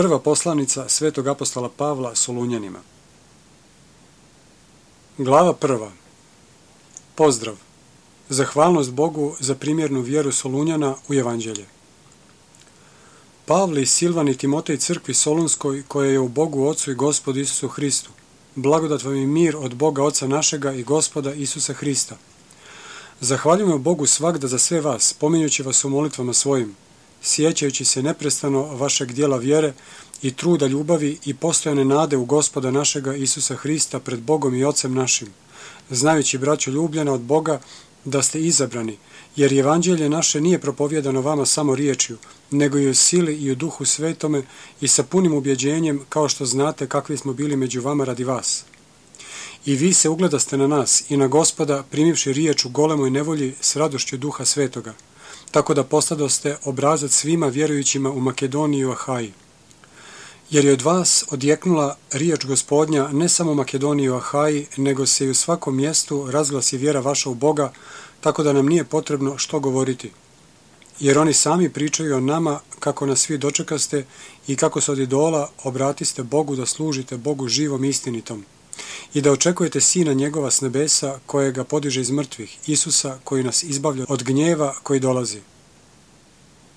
Prva poslanica svetog apostola Pavla Solunjanima. Glava prva. Pozdrav. Zahvalnost Bogu za primjernu vjeru Solunjana u Evanđelje. Pavle i Silvan i Timotej crkvi Solunskoj, koja je u Bogu Ocu i Gospodu Isusu Hristu. Blagodat vam i mir od Boga Oca našega i Gospoda Isusa Hrista. Zahvaljujemo Bogu svagda za sve vas, pominjući vas u molitvama svojim, sjećajući se neprestano vašeg dijela vjere i truda ljubavi i postojane nade u Gospoda našega Isusa Hrista pred Bogom i Ocem našim, znajući, braćo ljubljena od Boga, da ste izabrani, jer Evanđelje naše nije propovjedano vama samo riječju, nego i u sili i u Duhu Svetome i sa punim ubjeđenjem, kao što znate kakvi smo bili među vama radi vas. I vi se ugledaste na nas i na Gospoda, primivši riječ u golemoj nevolji s radošću Duha Svetoga, tako da postadoste obrazac svima vjerujućima u Makedoniji i u Ahaji. Jer je od vas odjeknula riječ Gospodnja ne samo u Makedoniji i u Ahaji, nego se i u svakom mjestu razglasi vjera vaša u Boga, tako da nam nije potrebno što govoriti. Jer oni sami pričaju o nama kako nas svi dočekaste i kako se od idola obratiste Bogu da služite Bogu živom i istinitom. I da očekujete Sina njegova s nebesa, kojega podiže iz mrtvih, Isusa, koji nas izbavlja od gnjeva koji dolazi.